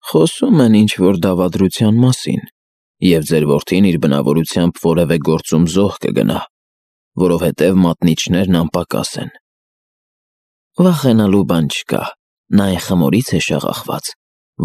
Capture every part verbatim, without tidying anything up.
Խոսում են ինչ-որ դավադրության մասին, և ձեր որդին իր բնավորությամբ որևէ գործում զոհ կգնա, որովհետև մատնիչներն անպակաս են։ Վախենալու բան չկա, նա այն խմորից է շաղախված,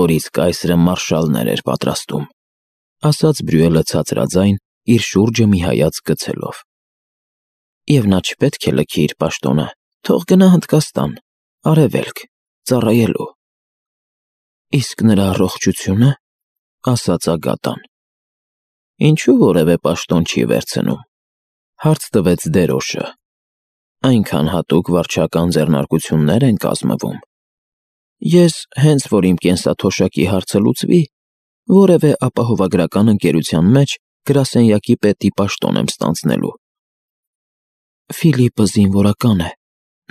որից կայսրը մարշալներ էր պատրաստում, ասաց Բրյուելը ցածրաձայն, իր շուրջը մի հայացք գցելով։ Եվ նա չպետք է լքի իր պաշտոնը, թող գնա Հնդկաստան, արևելք, ծառայելու։ Իսկ նրա առողջությո՞ւնը, ասաց Ագատան։ Ինչու որևէ պաշտոն չի վերցնում, հարց տվեց դերոշը։ Այնքան հատուկ վարչական ձեռնարկություններ են կազմվում։ Ես, հենց որ իմ կենսաթոշակի հարցը լուծվի, որևէ ապահովագրական ընկերության մեջ գրասենյակի պետի պաշտոն եմ ստանձնելու։ Ֆիլիպը զինվորական է,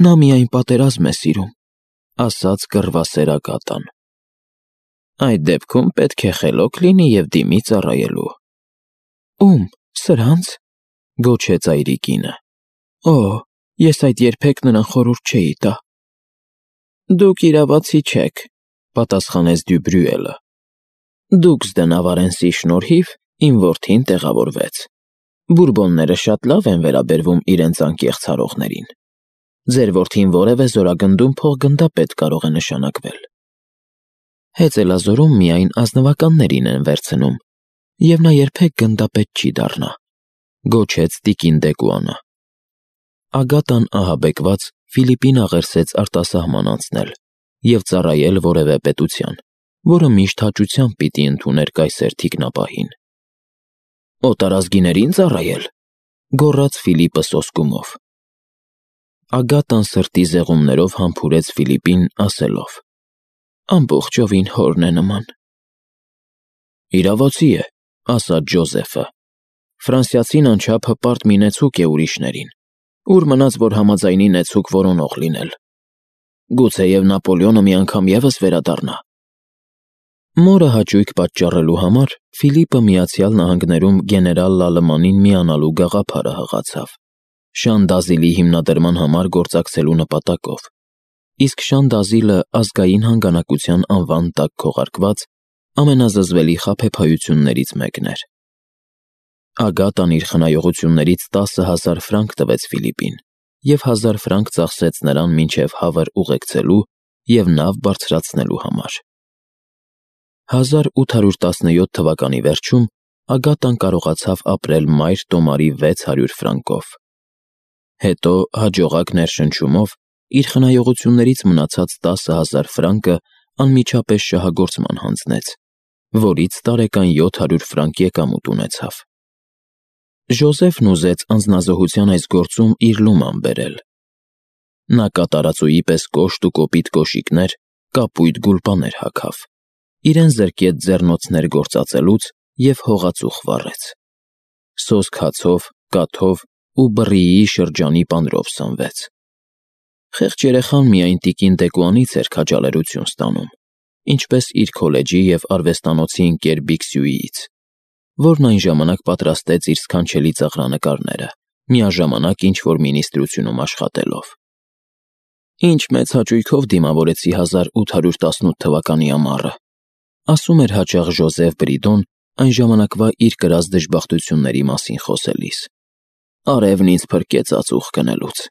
նա միայն պատերազմ է սիրում, ասաց կռվասեր Ագատան։ Այդ դեպքում պետք է խելոք լինի և դիմի ծառայելու։ Ում, սրա՞նց, գոչեց այրիկինը։ Օ, ես այդ երբեք նրան խորհուրդ չէի տա։ Դուք իրավացի չեք, պատասխանեց Դյուբրյուելը։ Դուքս դե Նավարենսի շնորհիվ իմ որդին տեղավորվեց։ Բուրբոնները շատ լավ են վերաբերվում իրենց անկեղծ հարողներին։ Ձեր որդին որևէ զորագնդում փոխգնդապետ կարող է նշանակվել։ Հեծելազորում միայն ազնվականներին են վերցնում, և նա երբեք գնդապետ չի դառնա, գոչեց տիկին Դեկուանը։ Ագատան ահաբեկված Ֆիլիպին աղերսեց արտասահման անցնել և ծառայել որևէ պետության, որը միշտ հաճությամբ պիտի ընդուներ կայսեր թիկնապահին։ Օտարազգիների՞ն ծառայել, գոռաց Ֆիլիպը սոսկումով։ Ագատան սրտի զեղումներով համբուրեց Ֆիլիպին, ասելով. Ամբողջովին հորն է նման։ Իրավացի է, ասաց Ջոզեֆը։ Ֆրանսիացին անչափ հպարտ մի նեցուկ է ուրիշներին, ուր մնաց, որ համաձայնի նեցուկ որոնող լինել։ Գուցեև Նապոլեոնը մի անգամ ևս վերադառնա։ Մորը հաճույք պատճառելու համար Ֆիլիպը Միացյալ Նահանգներում գեներալ Լալմանին միանալու գաղափարը հղացավ, Շան Դազիլի հիմնադրման համար գործակցելու նպատակով, իսկ Շան Դազիլը ազգային հանգանակության անվան տակ քողարկված ամենազզվելի խաբեբայություններից մեկն էր։ Ագատան իր խնայողություններից տասը հազար ֆրանկ տվեց Ֆիլիպին և հազար ֆրանկ ծախսեց նրան մինչև Հավր ուղեկցելու և նավ բարձրացնելու համար։ հազար ութ հարյուր տասնյոթ թվականի վերջում Ագատան կարողացավ ապրել մայր տոմարի վեց հարյուր ֆրանկով։ Հետո հաջողակ ներշնչումով իր խնայողություններից մնացած տասը հազար ֆրանկը անմիջապես շահագործման հանձնեց, որից տարեկան յոթ հարյուր ֆրանկ եկամուտ ունեցավ։ Ժոզեֆն ուզեց անձնազոհության այս գործում իր լուման բերել։ Նա կատարածուի պես կոշտ ու կոպիտ կոշիկներ, կապույտ գուլպաներ հագավ, իրեն զրկեց ձեռնոցներ գործածելուց և հողածուխ վառեց։ Սոսկ հացով, կաթով ու բռիի շրջանի պանրով սնվեց։ Խեղճ երեխան միայն տիկին Դեկուանից էր քաջալերություն ստանում, ինչպես իր քոլեջի և արվեստանոցի ընկեր Բիքսյուիից, որն այն ժամանակ պատրաստեց իր սքանչելի ծաղրանկարները, միաժամանակ ինչ-որ մինիստրությունում աշխատելով։ Ինչ մեծ հաճույքով դիմավորեցի հազար ութ հարյուր տասնութ թվականի ամառը, ասում էր հաճախ Ժոզեֆ Բրիդոն այն ժամանակվա իր կրած դժբախտությունների մասին խոսելիս։ Արևն ինձ փրկեց ածուխ գնելուց։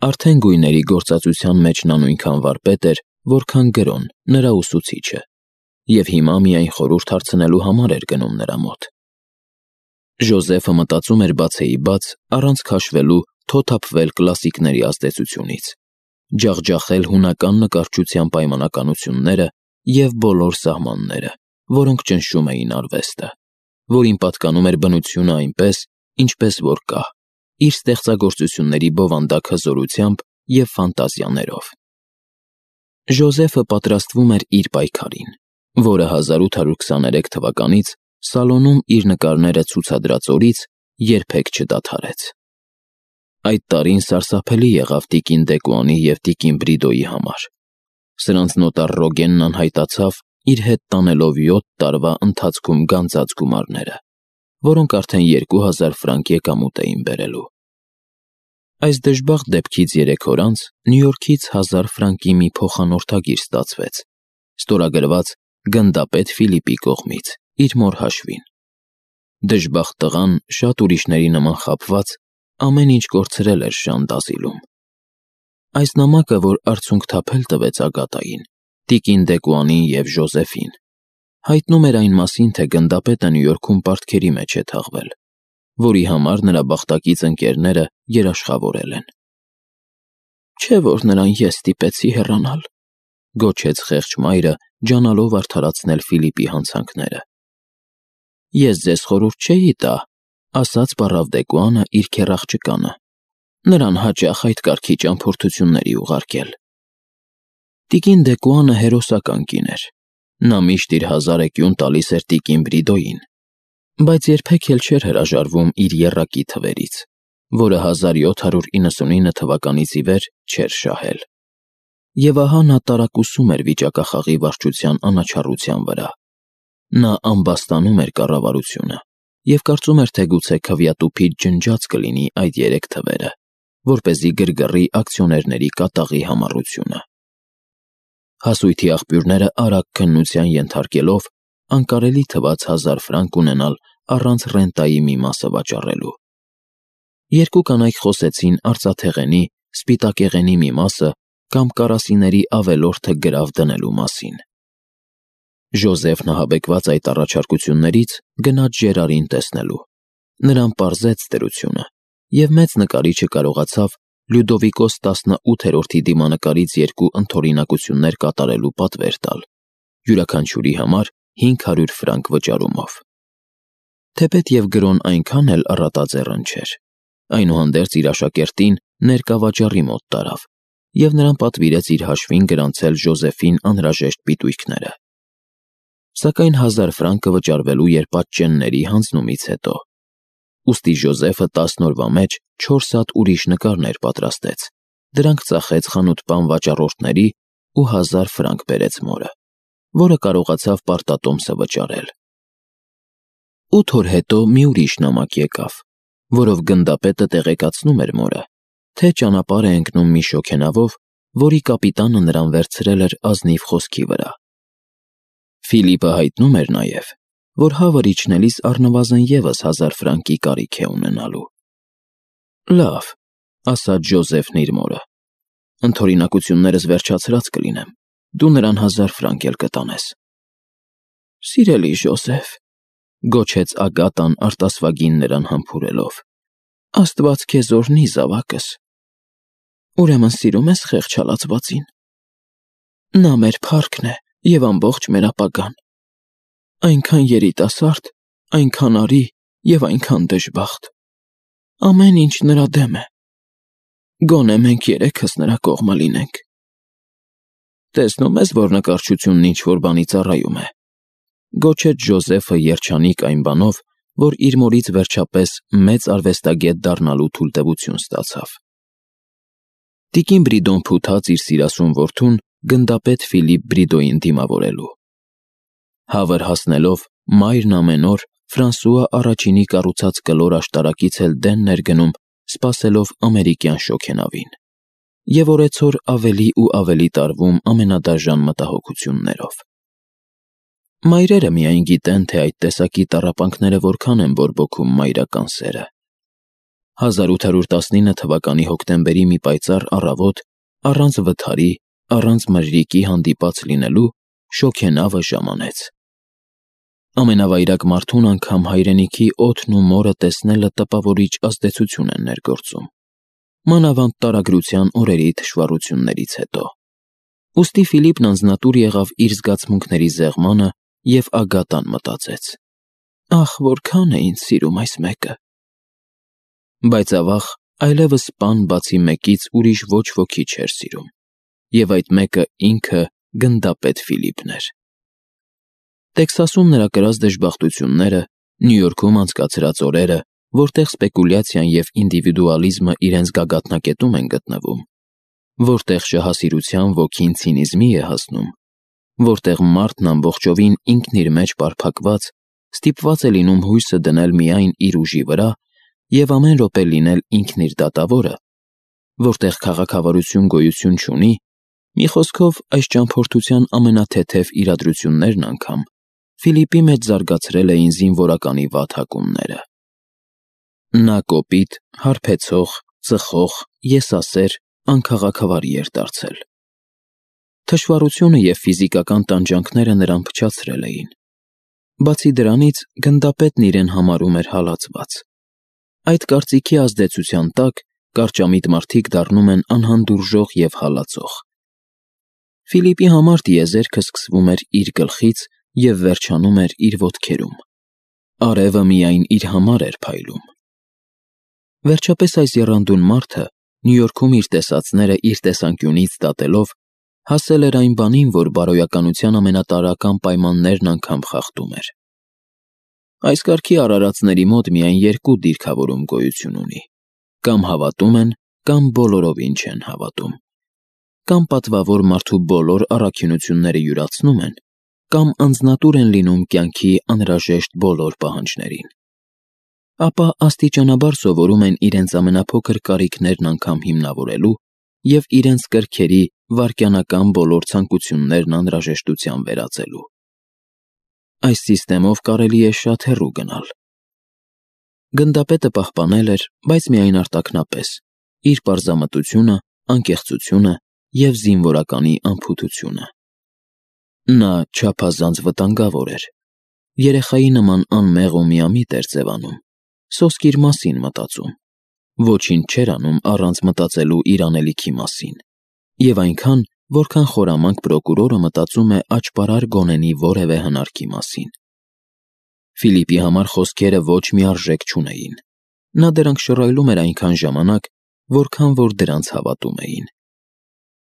Արդեն գույների գործածության մեջ նա նույնքան վարպետ էր, որքան գրոն, նրա ուսուցիչը, և հիմա միայն խորհուրդ հարցնելու համար էր գնում նրա մոտ։ Ժոզեֆը մտածում էր բացեի բաց, առանց քաշվելու թոթափվել կլասիկների ազդեցությունից, ջախջախել հունական նկարչության պայմանականությունները և բոլոր սահմանները, որոնք ճնշում էին արվեստը, որին պատկանում էր բնությունը այնպես, ինչպես որ կա, իր ստեղծագործությունների բովանդակ հզորությամբ և ֆանտազիաներով։ Ժոզեֆը պատրաստվում էր իր պայքարին, որը հազար ութ հարյուր քսաներեք թվականից Սալոնում իր նկարները ցուցադրած օրից երբեք չդադարեց։ Այդ տարին սարսափելի եղավ տիկին Դեկուանի և տիկին Բրիդոյի համար։ Սրանց նոտար Ռոգենն անհայտացավ, իր հետ տանելով յոթ տարվա ընթացքում գանձած գումարները, որոնք արդեն երկու հազար ֆրանկ եկամուտ էին բերելու։ Այս դժբախտ դեպքից երեք օր անց Նյու Յորքից հազար ֆրանկի մի փոխանորդագիր ստացվեց, ստորագրված գնդապետ Ֆիլիպի կողմից, իր մոր հաշվին։ Դժբախտ տղան, շատ ուրիշների նման խաբված, ամեն ինչ կորցրել էր Ժան d'Ազիլում։ Այս նամակը, որ արցունք թափել տվեց Ագատային, տիկին Դեկուանին և Ժոզեֆին, հայտնում էր այն մասին, թե գնդապետը Նյու Յորքում պարտքերի մեջ է թաղվել, որի համար նրա բախտակից ընկերները երաշխավորել են։ «Չէ՞ որ նրան ես ստիպեցի հեռանալ», գոչեց խեղճ մայրը, ջանալով արդարացնել Ֆիլիպի հանցանքները։ «Ես ձեզ խորհուրդ չէի տա», ասաց պառավ Դեկուանը իր քեռ-աղջկանը, նրան հաճախ այդ կարգի ճամփորդությունների ուղարկել։ Տիկին Դեկուանը հերոսական կին էր, նա միշտ իր հազար էկյուն տալիս էր տիկին Բրիդոյին, բայց երբեք էլ չէր հրաժարվում իր եռակի թվերից, որը հազար յոթ հարյուր իննսունինը թվականից ի վեր չէր շահել։ Եվ ահա նա տարակուսում էր վիճակախաղի վարչության անաչառության վրա։ Նա ամբաստանում էր կառավարությունը և կարծում էր, թե գուցե քվյատուփից ջնջած կլինի այդ երեք թվերը, որպեսզի գրգռի ակցիոներների կատաղի համառությունը։ Հասույթի աղբյուրները արագ քննության ենթարկելով, անկարելի թվաց հազար ֆրանկ ունենալ առանց ռենտայի մի մասը վաճառելու։ Երկու կանայք խոսեցին արծաթեղենի, սպիտակեղենի մի մասը կամ կարասիների ավելորդը գրավ դնելու մասին։ Ժոզեֆն ահաբեկված այդ առաջարկություններից գնաց Ժերարին տեսնելու։ Նրան պարզեց դրությունը, և մեծ նկարիչը կարողացավ Լյուդովիկոս տասնութերորդի դիմանկարից երկու ընդօրինակություններ կատարելու պատվեր տալ, յուրաքանչյուրի համար հինգ հարյուր ֆրանկ վճարումով։ Թեպետ և գրոն այնքան էլ առատաձեռն չէր, այնուհանդերձ իր աշակերտին ներկավաճառի մոտ տարավ և նրան պատվիրեց իր հաշվին գրանցել Ժոզեֆին անհրաժեշտ պիտույքները։ Սակայն հազար ֆրանկը վճարվելու երբատչենների հանձնումից հետո, ուստի Ժոզեֆը տասն օրվա մեջ չորս հատ ուրիշ նկարներ պատրաստեց, դրանք ծախեց խանութպան վաճառորդների ու հազար ֆրանկ բերեց մորը, որը կարողացավ պարտատոմսը վճարել։ Ութ օր հետո մի ուրիշ նամակ եկավ, որով գնդապետը տեղեկացնում էր մորը, թե ճանապարհ է ընկնում մի շոգենավով, որի կապիտանը նրան վերցրել էր ազնիվ խոսքի վրա։ Ֆիլիպը հայտնում էր նաև, որ հավը իջնելիս առնվազն ևս հազար ֆրանկի կարիք է ունենալու։ Լավ, ասաց Ժոզեֆն իր մորը, ընդօրինակություններս վերջացրած կլինեմ, դու նրան հազար ֆրանկ էլ կտանես։ Սիրելի Ժոզեֆ, գոչեց Ագատան արտասվագին նրան համբուրելով, Աստված քեզ օրհնի զավակս։ Ուրեմն սիրում ես խեղճ հալածվածին։ Նա մեր փառքն է և ամբողջ մեր ապագան։ Այնքան երիտասարդ, այնքան արի և այնքան դժբախտ։ Ամեն ինչ նրա դեմ է։ Գոնե մենք երեքս նրա կողմը լինենք։ Տեսնում ես, որ նկարչությունն ինչ-որ բանի ծառայում է, գոչեց Ժոզեֆը երջանիկ այն բանով, որ իր մորից վերջապես մեծ արվեստագետ դառնալու թույլտվություն ստացավ։ Տիկին Բրիդոն փութաց իր սիրասուն որդուն գնդապետ Ֆիլիպ Բրիդոյին դիմավորելու։ Հավր հասնելով, մայրն ամեն օր Ֆրանսուଆ առաջինի կառուցած կլոր աշտարակից էլ դեն ներգնում, սպասելով ամերիկյան շոգենավին, և օրեցօր ավելի ու ավելի տարվում ամենադաժան մտահոգություններով։ Մայրերը միայն գիտեն, թե այդ տեսակի տառապանքները որքան են բորբոքում մայրական սերը։ հազար ութ հարյուր տասնինը թվականի հոկտեմբերի մի պայծառ առավոտ, առանց վթարի, առանց մրրիկի հանդիպած լինելու, շոգենավը ժամանեց։ Ամենավայրակ մարդուն անգամ հայրենիքի օդն ու մորը տեսնելը տպավորիչ ազդեցություն են ներգործում, մանավանդ տարագրության օրերի թշվառություններից հետո։ Ուստի Ֆիլիպն անձնատուր եղավ իր զգացմունքների զեղմանը և Ագատան մտածեց. «Ախ, որքան է ինձ սիրում այս մեկը»։ Բայց ավաղ այլևս պան բացի մեկից ուրիշ ոչ ոքի չէր սիրում, և այդ մեկը ինքը գնդապետ Ֆիլիպն էր։ Տեքսասում նրա կրած դժբախտությունները, Նյու Յորքում անցկացրած օրերը, որտեղ սպեկուլյացիան և ինդիվիդուալիզմը իրենց գագաթնակետում են գտնվում, որտեղ շահասիրության ոգին ցինիզմի է հասնում, որտեղ մարդն ամբողջովին ինքն իր մեջ պարփակված, ստիպված է լինում հույսը դնել միայն իր ուժի վրա և ամեն րոպե լինել ինքն իր դատավորը, որտեղ քաղաքավարություն գոյություն չունի, Մի խոսքով, այս ճամփորդության ամենաթեթև իրադրություններն անգամ Ֆիլիպի մեջ զարգացրել էին զինվորականի վատհակումները։ Նա կոպիտ, հարբեցող, ծխող, եսասեր, անքաղաքավարի էր դարձել։ Թշվառությունը և ֆիզիկական տանջանքները նրան փչացրել էին։ Բացի դրանից, գնդապետն իրեն համարում էր հալածված։ Այդ կարծիքի ազդեցության տակ կարճամիտ մարդիկ դառնում են անհանդուրժող և հալածող։ Ֆիլիպի համար տիեզերքը սկսվում էր իր գլխից և վերջանում էր իր ոտքերում։ Արևը միայն իր համար էր փայլում։ Վերջապես այս եռանդուն մարդը, Նյու Յորքում իր տեսածները իր տեսանկյունից դատելով, հասել էր այն բանին, որ բարոյականության ամենատարրական պայմաններն անգամ խախտում էր։ Այս կարգի արարածների մոտ միայն երկու դիրքավորում գոյություն ունի. կամ հավատում են, կամ բոլորովին չեն հավատում։ Կամ պատվավոր մարդու բոլոր առաքինությունները յուրացնում են, կամ անձնատուր են լինում կյանքի անհրաժեշտ բոլոր պահանջներին։ Ապա աստիճանաբար սովորում են իրենց ամենափոքր կարիքներն անգամ հիմնավորելու և իրենց կրքերի վայրկենական բոլոր ցանկություններն անհրաժեշտության վերածելու։ Այս սիստեմով կարելի է շատ հեռու գնալ։ Գնդապետը պահպանել էր, բայց միայն արտաքնապես, իր պարզամտությունը, անկեղծությունը և զինվորականի անփութությունը։ Նա չափազանց վտանգավոր էր։ Երեխայի նման անմեղ ու միամիտ էր ձևանում, սոսկ իր մասին մտածում, ոչինչ չէր անում առանց մտածելու իր անելիքի մասին, և այնքան, որքան խորամանկ պրոկուրորը մտածում է աճպարար գոնենի որևէ հնարքի մասին։ Ֆիլիպի համար խոսքերը ոչ մի արժեք չունեին։ Նա դրանք շռայլում էր այնքան ժամանակ, որքան որ դրանց հավատում էին։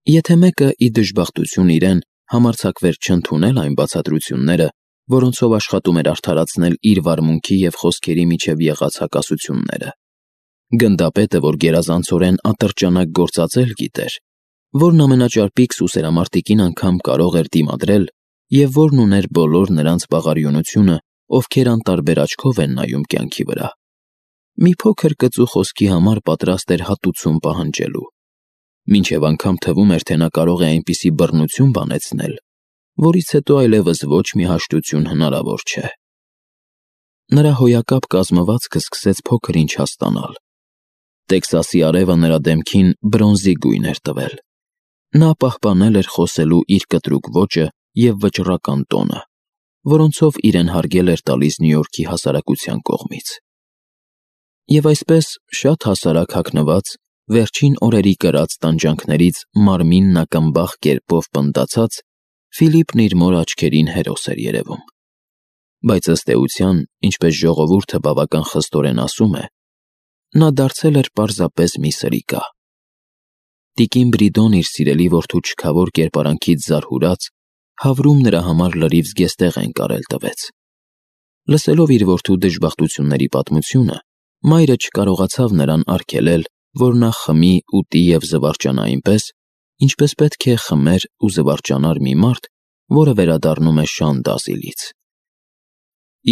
Եթե մեկը ի դժբախտություն իրեն համարձակվեր չընդունել այն բացատրությունները, որոնցով աշխատում էր արդարացնել իր վարմունքի և խոսքերի միջև եղած հակասությունները, գնդապետը, որ գերազանցորեն ատրճանակ գործածել գիտեր, որն ամենաճարպիկ սուսերամարտիկին անգամ կարող էր դիմադրել և որն ուներ բոլոր նրանց բաղարիունությունը, ովքեր անտարբեր աչքով են նայում կյանքի վրա, մի փոքր կծու խոսքի համար պատրաստ էր հատուցում պահանջելու, մինչև անգամ թվում էր, թե նա կարող է այնպիսի բռնություն բանեցնել, որից հետո այլևս ոչ մի հաշտություն հնարավոր չէ։ Նրա հոյակապ կազմվածքը սկսեց փոքր-ինչ հաստանալ։ Տեքսասի արևը նրա դեմքին բրոնզի գույն էր տվել։ Նա պահպանել էր խոսելու իր կտրուկ ոճը և վճռական տոնը, որոնցով իրեն հարգել էր տալիս Նյու Յորքի հասարակության կողմից։ Եվ այսպես, շատ հասարակ հագնված, վերջին օրերի կրած տանջանքներից մարմինն ակնբախ կերպով պնդացած, Ֆիլիպն իր մոր աչքերին հերոս էր երևում։ Բայց ըստ էության, ինչպես ժողովուրդը բավական խստորեն ասում է, նա դարձել էր պարզապես մի սրիկա։ Տիկին Բրիդոն իր սիրելի որդու չքավոր կերպարանքից զարհուրած, հավրում նրա համար լրիվ զգեստեղեն կարել տվեց։ Լսելով իր որդու դժբախտությունների պատմությունը, մայրը չկարողացավ նրան արգելել, որ նա խմի, ուտի և զվարճանա այնպես, ինչպես պետք է խմեր ու զվարճանար մի մարդ, որը վերադառնում է շան Դազիլից։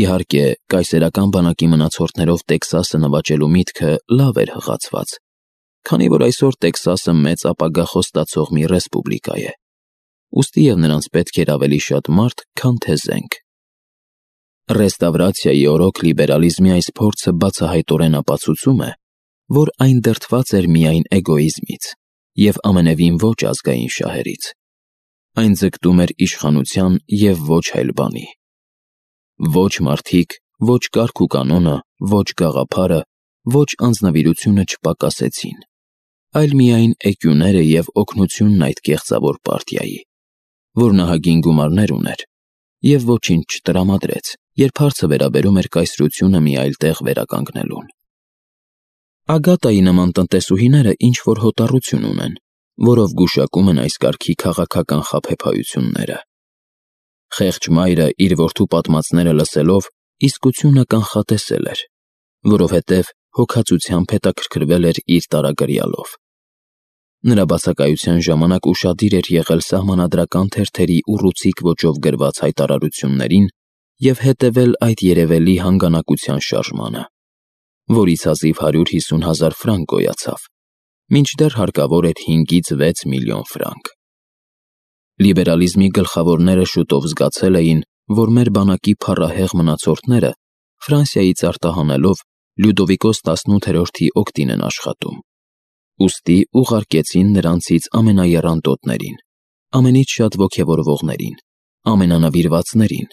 Իհարկե, կայսերական բանակի մնացորդներով Տեքսասը նվաճելու միտքը լավ էր հղացված, քանի որ այսօր Տեքսասը մեծ ապագա խոստացող մի ռեսպուբլիկա է, ուստի և նրանց պետք էր ավելի շատ մարդ, քան թե զենք։ Ռեստավրացիայի օրոք լիբերալիզմի այս փորձը բացահայտորեն ապացուցում է, որ այն դրդված էր միայն էգոիզմից և ամենևին ոչ ազգային շահերից։ Այն ձգտում էր իշխանության և ոչ այլ բանի։ Ոչ մարդիկ, ոչ կարգ ու կանոնը, ոչ գաղափարը, ոչ անձնվիրությունը չպակասեցին, այլ միայն էկյուները և օգնությունն այդ կեղծավոր պարտիայի, որ նահագին գումարներ ուներ և ոչինչ չտրամադրեց, երբ հարցը վերաբերում էր կայսրությունը մի այլ տեղ վերականգնելուն։ Ագատայի նման տնտեսուհիները ինչ-որ հոտառություն ունեն, որով գուշակում են այս կարգի քաղաքական խաբեբայությունները։ Խեղճ մայրը իր որդու պատմածները լսելով իսկությունը կանխատեսել էր, որովհետև հոգածությամբ հետաքրքրվել էր իր տարագրյալով։ Նրա բացակայության ժամանակ ուշադիր էր եղել սահմանադրական թերթերի ուռուցիկ ոճով գրված հայտարարություններին և հետևել այդ երևելի հանգանակության շարժմանը, որից հազիվ հարյուր հիսուն հազար ֆրանկ գոյացավ, մինչդեռ հարկավոր էր հինգից վեց միլիոն ֆրանկ։ Լիբերալիզմի գլխավորները շուտով զգացել էին, որ մեր բանակի փառահեղ մնացորդները, Ֆրանսիայից արտահանելով, Լյուդովիկոս տասնութերորդի օգտին են աշխատում։ Ուստի ուղարկեցին նրանցից ամենաեռանդոտներին, ամենից շատ ոգևորվողներին, ամենանվիրվածներին,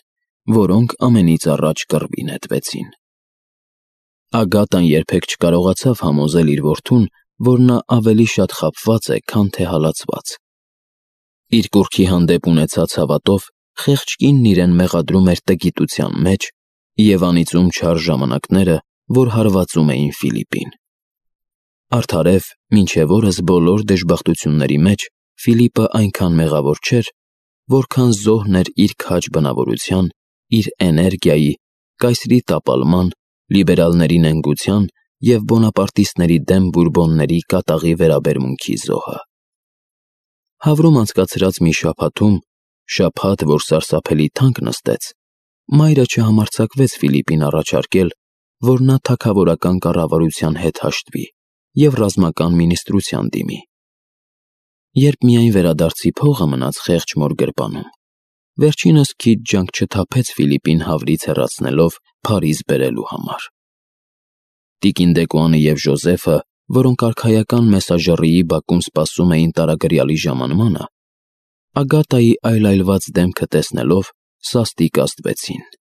որոնք ամենից առաջ կռվի նետվեցին։ Ագատան երբեք չկարողացավ համոզել իր որդուն, որ նա ավելի շատ խաբված է, քան թե հալածված։ Իր կուռքի հանդեպ ունեցած հավատով խեղճ կինն իրեն մեղադրում էր տգիտության մեջ և անիծում չար ժամանակները, որ հարվածում էին Ֆիլիպին։ Արդարև, մինչև օրս բոլոր դժբախտությունների մեջ Ֆիլիպը այնքան մեղավոր չէր, որքան զոհն էր իր քաջ բնավորության, իր էներգիայի, կայսրի տապալման, լիբերալների նենգության և բոնապարտիստների դեմ բուրբոնների կատաղի վերաբերմունքի զոհը։ Հավրում անցկացրած մի շաբաթում, շաբաթ, որ սարսափելի թանկ նստեց, մայրը չհամարձակվեց Ֆիլիպին առաջարկել, որ նա թագավորական կառավարության հետ հաշտվի և ռազմական մինիստրության դիմի։ Երբ միայն վերադարձի փողը մնաց խեղճ մոր գրպանում, վերջինս քիչ ջանք չթափեց Ֆիլիպին հավրից հեռացնելով Փարիզ բերելու համար։ Տիկին Դեկոյանը և Ժոզեֆը, որոնք արքայական մեսաժեռիի բակում սպասում էին տարագրյալի ժամանմանը, Ագատայի այլայլված դեմքը տեսնելով, սաստիկ ազդվեցին։